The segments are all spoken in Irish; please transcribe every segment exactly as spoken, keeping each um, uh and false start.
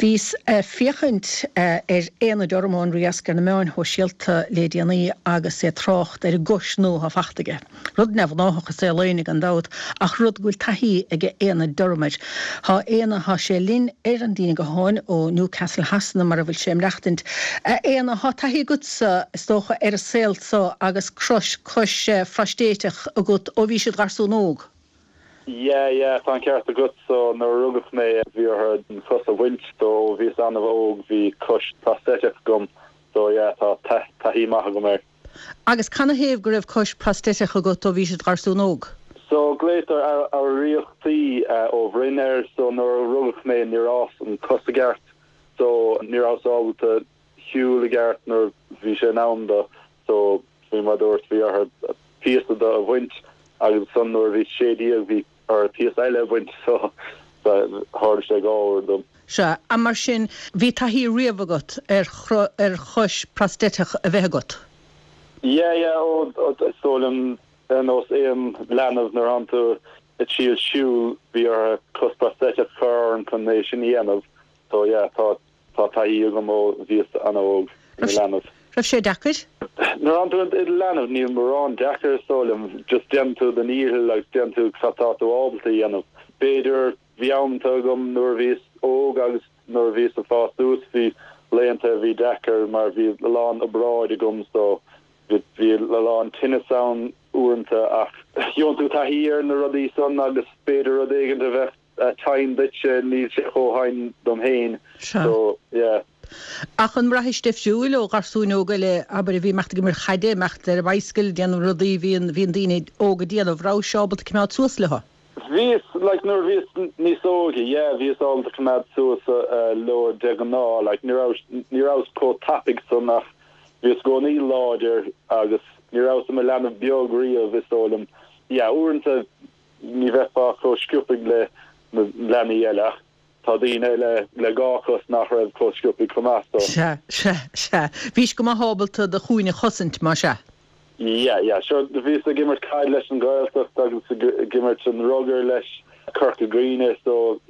Bhíos ag féachaint ar Éanna Durham ón Riasc ar na meáin shóisialta le déanaí agus é ag trácht ar an gcois nua atá fachta aige. Rud neamhghnách i saol éinne gan dabht ach rud go bhfuil taithí ag Éanna Durham air. Tá Éanna tá sé linn ar an líne gutháin ó Newcastle Shasana mar a bhfuil sé ag maireachtaint. Éanna tá taithí agatsa is dócha ar an saol seo agus crois cois phrostéiseach agat ó bhí siad garsún óg. Yeah, yeah, tá an ceart agat so nuair a rugadh mé bhí orthu an chos a bhaint so bhíos an-óg bhí cois prosthetic agam so yeah, tá taithí maith agam air. Agus canathaobh go raibh cois prosthetic agat ó bhí siad garsún óg? So glaotar athríochtaí uh, ó bhroinn air so nuair a rugadh mé níor fhás an cos i gceart so ní rabhas ábalta siúl i gceart nuair bhí sé in am do so bhí mar dúirt bhí orthu píosa de a bhaint agus ansan nuair bhí sé déag bhí orthu píosa eile a bhaint so tharla sé dhá uair dom. Sea, a mar sin bhí taithí riamh agat ar ar chois prosthetic a bheith agat. Yeah, yeah, ó so liom ar nós aon leanbh nuair atánn tú ag triail siúl bhí orthu cos prosthetic a chur orm chun é sin a dhéanamh so yeah, tá tá taithí agam ó bhíos an-óg ina leanbh. Raibh sé deacair? Nuair atánn tú i do leanbh níl mórán deacair so liom just déanann tú do dhícheall agus déanann tú cad tá tú ábalta a dhéanamh. B'fhéidir bhí amanta agam nuair bhíos óg agus nuair bhíos ag fás suas bhí laethanta bhí deacair mar bhí a lán obráid agam so bhí a lán tinneas ann uaireanta ach gheobhann tú taithí ar na rudaí san agus b'fhéidir rud éigin a bheith tinn duitse níl sé chomh tinn dom féin so yeah. Ach an mbraithis difriúil ó gharsúin óga eile abair a bhí imeacht ag imirt caide imeacht ar bicycle déanamh rudaí bhíonn bhíonn daoine óga déanamh rabhais ábalta coimeád suas leo. Bhíos like nuair bhíos níos óige yeah bhíos ábalta coimeád suas uh, leo de ghnáth like ní rabhas ní rabhas chomh tapaidh san ach bhíos i gcónaí láidir agus ní rabhas i mo leanbh beag riamh is dóigh liom yeah uaireanta ní bheifeá chomh sciobtha le na leanaí eile ach tá daoine le le dhá chos nach raibh chomh sciobtha chomh maith so. Sea sea sea Bhís go maith ábalta do chúinne a chosaint mar sea. Yeah, yeah, sure bhíos ag imirt caid leis an Ghaeltacht agus ag imirt an rugar leis Corca Dhuibhne so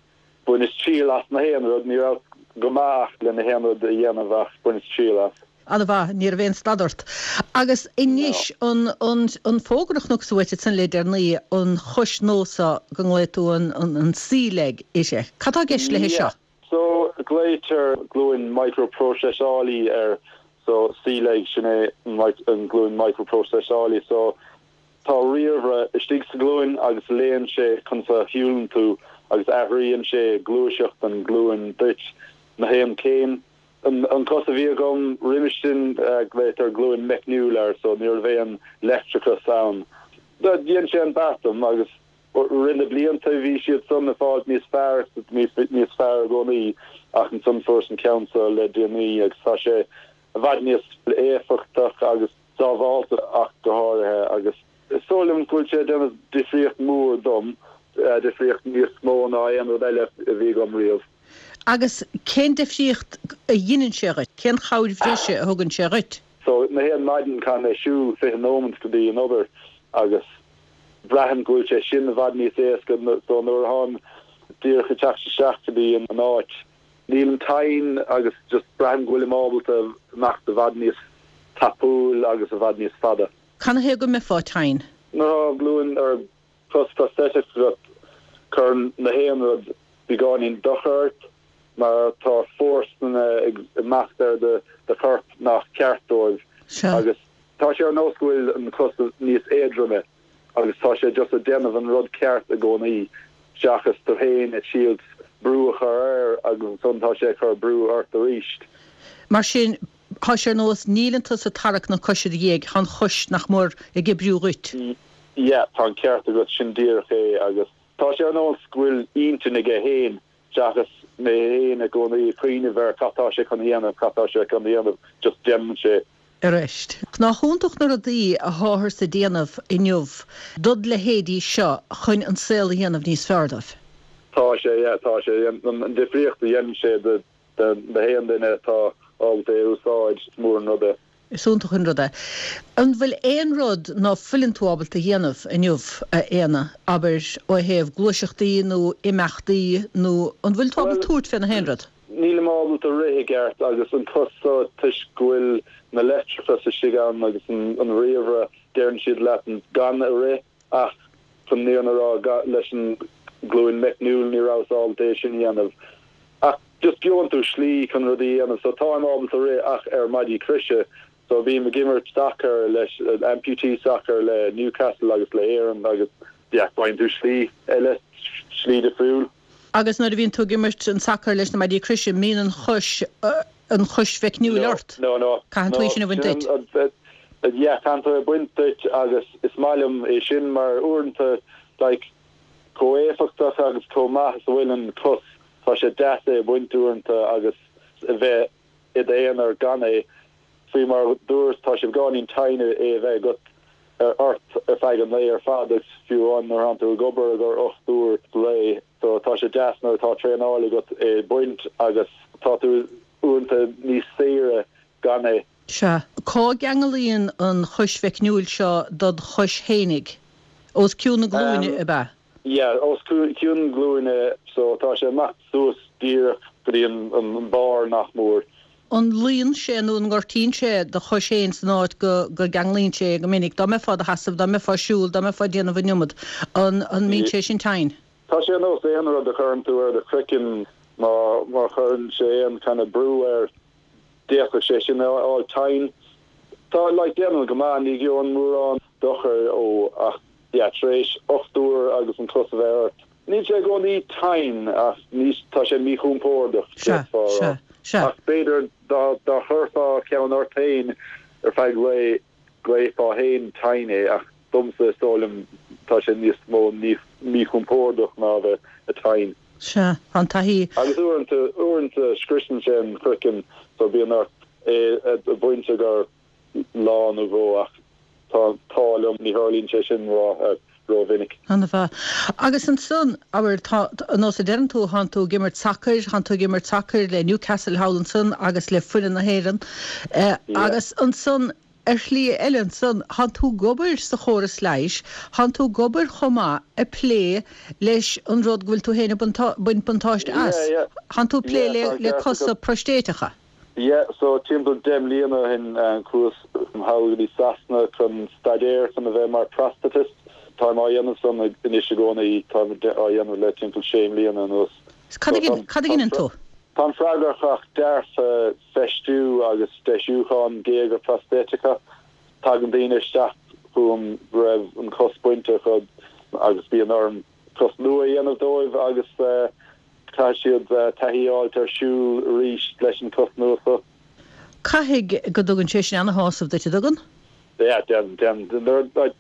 bhaineas triail as na haon rud ní raibh go maith le na haon rud a dhéanamh ach bhaineas triail as. An-mhaith ní raibh aon stad ort. Agus anois an an an fógra a chonac uait san le déanaí an chois nua seo go nglaonn tú an an an C-leg ise. Cad tá i gceist le seo? So glaotar glúin microprocessálaí ar so C-leg sin é an glúin microprocessálaí so tá ríomhaire istigh sa glúin agus léann sé conas a shiúlann tú agus athraíonn sé gluaiseacht an glúin duit na haon céim an, an cos a bhí agam roimhe sin uh, glaotar glúin meicniúil air so ní raibh aon leictreachas ann. Dhein sé an beart dom agus rinne na blianta bhí siad san ag fáil níos fearr níos fearr i gcónaí ach ansan fuaireas an ceann seo le déanaí agus tá sé i bhfad níos éifeachtach agus sábháilte ach go háirithe agus is dóigh liom go bhfuil sé déanamh difríocht mór dom uh, difríocht níos mó ná aon rud eile a bhí agam riamh. Agus cén difríocht a dhéanann sé dhuit, cén chabhair bhreise a thugann sé dhuit? So na haon maidin caithfidh mé siúl fiche nóiméad go dtí an obair agus braithim go bhfuil sé sin i bhfad níos éasca so nuair atháim díreach ag teacht isteach go dtí an áit. Níl an tinn agus just braithim go bhfuil ábalta imeacht i bhfad níos tapúil agus i bhfad níos fada. Canathaobh go mbeifeá tinn? Nuair glúin ar cos prosthetic cuireann na haon rud beagáinín dochar ort mar tá fórsanna ag imeacht ar de de chorp nach ceart dóibh agus tá sé ar nós go bhfuil an cos níos éadroime agus tá sé just ag déanamh an rud ceart i gcónaí seachas tú féin ag triail brú a chur air agus ansan tá sé chur brú ort arís. Mar sin tá sé ar nós níl tusa ag tarrac na coise do dhiaidh an chois nach mór ag oibriú dhuit. Ja, tá an ceart agat sin díreach é agus tá sé ar nós go bhfuil intinn aige féin seachas mé féin i gcónaí cuimhneamh ar cad tá sé chun a dhéanamh cad tá sé chun a dhéanamh just déanann sé. Arís. Nach iontach na rudaí atáthar ag déanamh inniu dod leithéidí seo chun an saol a dhéanamh níos fearr dóibh. Tá sé tá sé an difríocht a dhéanann sé de de haon duine atá ábalta é úsáid mór an rud é. Is iontach an rud é. An bhfuil aon rud ná fuileann tú ábalta a dhéanamh inniu a Éanna abair ó thaobh gluaiseachtaí nó imeachtaí nó an bhfuil tú ábalta tabhairt fé na haon rud? Nílim ábalta rith i gceart agus an cos so toisc go bhfuil na leictreachas istigh ann agus an an ríomhaire deireann siad leat gan a rith ach chun an fhírinne a rá leis an glúin meicniúil ní rabhas ábalta é sin a dhéanamh. Ach just gheobhann tú slí chun rudaí a dhéanamh so táim ábalta rith ach ar maidí croise so bím ag imirt sacar leis amputee soccer le Newcastle agus le Éirinn agus yeah faigheann tú slí eile slí difriúil. Agus nuair a bhíonn tú ag imirt an sacar leis na maidí croise mbíonn an chois an chois mheicniúil ort? No no Caithfidh tú í sin a bhaint duit? Yeah caithfidh tú é baint duit agus is maith liom é sin mar uaireanta like chomh éifeachtach agus chomh maith is a bhfuil an cos tá sé deas é a bhaint uaireanta agus a bheith i d'aonar gan é faoi mar dúirt tá sé beagáinín tinn é a bheith agat ar ort ar feadh an lae ar fad agus fiú an nuair atá tú ag obair ag ocht uair lae so tá sé deas nuair atá traenáil agat é baint agus tá tú uaireanta níos saoire gan é. Sea. Cá gceanglaíonn an chois mheicniúil seo dod chois fhéinig? Os cionn na glúine ab ea? Yeah, os cionn glúine so tá sé amach suas díreach go dtí an an barr nach mór. An luíonn sé nó an ngortaíonn sé do chois féin san áit go go gceanglaíonn sé go minic? Dá mbeifeá i do sheasamh, dá mbeifeá ag siúl, dá mbeifeá ag déanamh an iomad, an an mbíonn sé sin tinn? Tá sé ar nós aon rud a chuireann tú ar do chraiceann má má chuireann sé aon kind of brú air d'fhéadfadh sé sin a fháil tinn. Tá like déanamh go maith ní gheobhainn mórán dochar ó ach yeah tar éis ocht uair agus an cos a bheith ort. Níl sé i gcónaí tinn ach ní tá sé míchompordach Sea, sea, sea. Ach b'fhéidir dá dá chuirfeá ceann ort féin ar feadh lae glaofá féin tinn é ach domsa is dóigh liom tá sé níos mó ní míchompordach ná bheith tinn. Sea, an taithí. Agus uaireanta uaireanta scriosann sé an craiceann so bíonn ort é a bhaint gur lá nó dhó ach tá tá liom ní tharlaíonn sé sin ró rómhinic. An-mhaith. Agus ansan abair tá nós a deireann tú thánn tú ag imirt sacair, thánn tú ag imirt sacair le Newcastle thall ansan agus le foireann na hÉireann. Eh, agus ansan ar shlí eile ansan thánn tú ag obair sa chóras leighis, thánn tú ag obair chomh maith ag plé leis an rud go bhfuil tú féin ag baint buntáiste as. Thánn tú ag plé le le cosa proistéiteacha. Yeah, so timpeall deich mbliana ó shin chuas thall go dtí Sasana chun staidéar chun a bheith mar prosthetist. Táim á dhéanamh san anois i gcónaí táim á dhéanamh le timpeall sé mbliana anuas. Cad a dhéanann tú? Táim freagrach as dearfa feistiú agus deisiúchán géaga prostéiteacha. Tagann daoine isteach chugam go raibh an cos bainte acu agus bíonn orm cos nua a dhéanamh dóibh agus uh, caithfidh siad uh, taithí a fháilt ar siúl arís leis an cos nua seo. Caithfidh go dtugann sé sin an-shásamh duit an dtugann? Yeah, den den den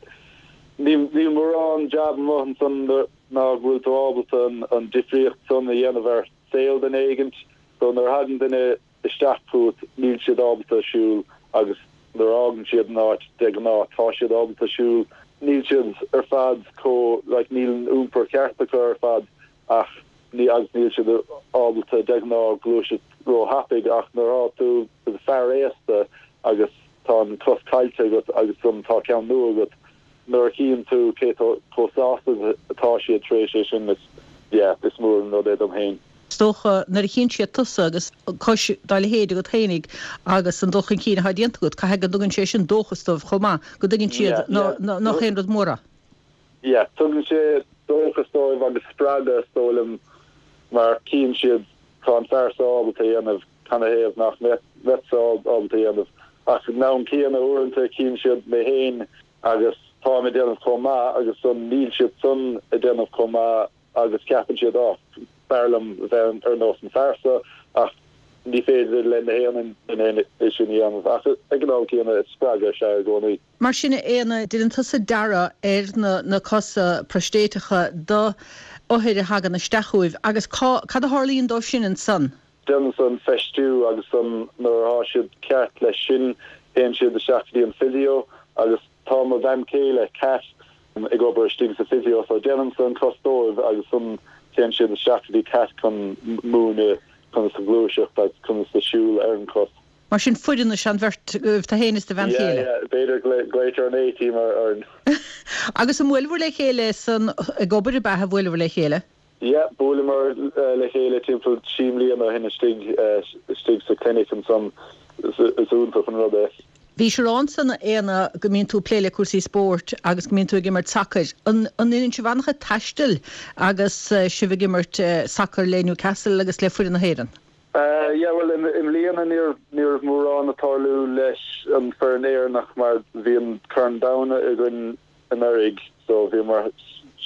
ní ní mórán jab amuigh ansan ná go bhfuil tú ábalta an, an difríocht san a dhéanamh ar saol duine éigint, so nuair a thagann duine isteach chugat níl siad ábalta siúl agus nuair a fhágann siad an áit de ghnáth tá siad ábalta siúl níl siad ar fad chomh like níl an iompar ceart acu ar fad ach ní agus níl siad ábalta de ghnáth gluaiseacht róthapaidh ach nuair atá tú i do fear aosta agus tá an cos caillte agat agus san tá ceann nua agat nuair a chíonn tú cé chomh sásta atá siad tar éis é sin is yeah, is mór an rud é dom féin. Is dócha nuair a chíonn siad tusa agus cos dá leithéid agat fhéinig agus an dul chun cinn atá déanta agat, caithfidh go dtugann sé sin dóchas dóibh chomh maith, go dtuigeann siad nach aon rud mór é. Yeah, tugann sé dóchas dóibh agus spreagadh is dóigh liom mar cíonn siad tá an fear seo ábalta a dhéanamh canathaobh nach mbeadh ábalta a dhéanamh ach ag an am céanna uaireanta cíonn siad mé féin agus táim ag déanamh chomh maith agus san níl siad san ag déanamh chomh maith agus ceapann siad á b'fhearr liom bheith ar nós an fear seo ach ní féidir le na haon duine é sin a dhéanamh ach ag an am céanna is spreagadh sé i gcónaí. Mar sin Éanna, déanann tusa dearadh ar na, na cosa proistéiteacha do othair a thagann isteach chugaibh agus cá, cad a tharlaíonn dóibh sin ansan? Déanaimse an feistiú agus san nuair atá siad ceart leis sin téann siad isteach go dtí an physio agus tá mo bhean chéile Cat ag obair istigh sa physio so déanaimse an cos dóibh agus san téann siad isteach go dtí Cat chun múineadh conas a ghluaiseacht agus conas a siúl ar an cos. Mar sin foireann is an bheirt tú féin is do bhean Yeah, chéile. yeah, b'fhéidir glaoitear an A-team ar ar Agus an bhfuil le chéile san ag obair a bheith bhfuil le chéile? Yeah, bhuaileamar le chéile timpeall trí mbliana ó shin istigh istigh sa clinic ansan is iontach an rud é. Bhís ag rá ansan a Éanna go mbíonn tú ag plé le cúrsaí spóirt agus go mbíonn tú ag imirt sacair. An an ndéanann sibh an-chuid taistil agus sibh ag imirt sacair le Newcastle agus le foireann na hÉireann? Yeah, well i mbliana ní ní raibh mórán ag tarlú leis an foireann Éireannach mar bhí an Corn Domhanda againn anuraidh so bhíomar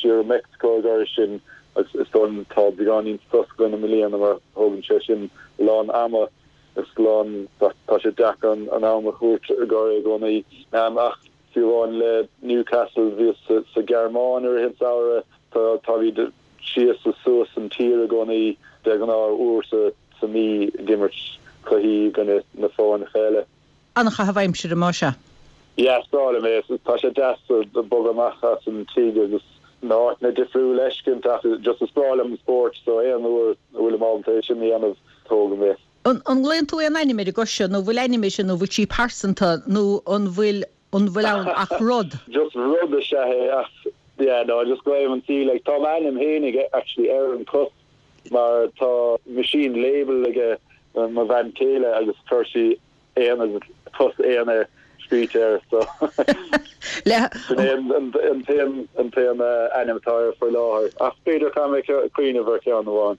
siar i Mexico ag sin agus is don tá beagáinín sos againn i mbliana mar thógann sé sin lán ama is lán tá sé deacair an an am a thabhairt i gcóir i gcónaí um, ach fiú amháin le Newcastle bhí sa, sa Ghearmáin ar an samhradh tá tá bhí síos is suas an tír i gcónaí de ghnáth uair sa sa mí ag imirt cluichí gona na foirne eile. An-chaitheamh aimsire más ea. Yeah, is breá liom é tá sé deas bogadh amach as an tigh agus na háiteanna difriúla a fheiscint ach just is breá liom an spórt so aon uair a bhfuil ábalta é sin a dhéanamh tógaim é. An nglaonn tú aon ainm ar an gcos seo nó bhfuil ainm sin nó bhfuil sí pearsanta nó an bhfuil an bhfuil ann ach rud? Just rud is ea é ach yeah no just glaoim an C like tá ainm féinig actually ar an cos mar tá machine label aige mo bhean chéile agus chuir sí aon cos Éanna scríte air so Le an t-aon an t-aon ainm atá air faoi láthair ach b'fhéidir go mbeidh cuimhneamh ar cheann amháin.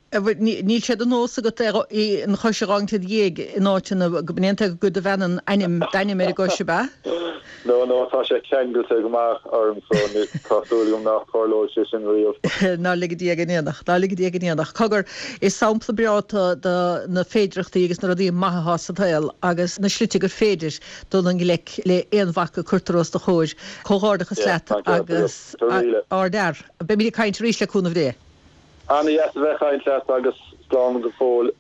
Níl sé de nós agat an chos a fhágaint i do dhiaidh in áiteanna go ndéantar go do bhean an ainm d'ainm ar an gcos ab ea? No no tá sé ceangailte go maith orm so tá súil agam nach dtarlóidh sé sin riamh. Ná lige Dia go ndéanfadh, ná lige Dia go ndéanfadh. Cogar is sampla breá de na féidearthachtaí agus na rudaí maithe atá sa tsaol agus na slite gur féidir dul i ngleic le aon bhac a cuirtear os do chomhair. Comhghairdeachas leat agus ardfhear. Beimid ag caint arís le cúnamh Dé. An-deas a bheith ag caint leat agus slán go fóill.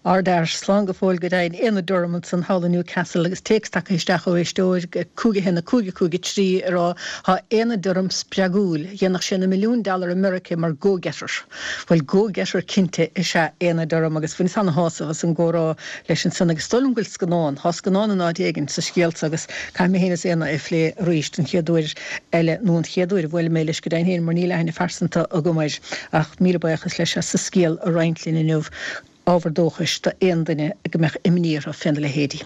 Ardfhear slán go fóill go deimhin Éanna Durham ansan thall i Newcastle agus téacs tagtha isteach ó éisteoir cúig a haon a cúig a cúig a trí ag rá tá Éanna Durham spreagúil, dhéanfadh sé na milliúin dollar i Meiriceá mar go-getter. Bhuel go-getter cinnte is ea Éanna Durham agus bhaineas an-shásamh as an gcomhrá leis ansan agus is dóigh liom go bhfuil scannán, tá scannán in áit éigin sa scéal so agus caithfidh mé féin is Éanna é a phlé arís an chéad uair eile nó an chéad uair a bhuailfidh mé leis go deimhin féin mar níl aithne phearsanta agam air ach míle buíochas leis as a scéal a roinnt linn inniu. ábhar dóchais d'aon duine go mbeadh imní orthu féna leithéidí.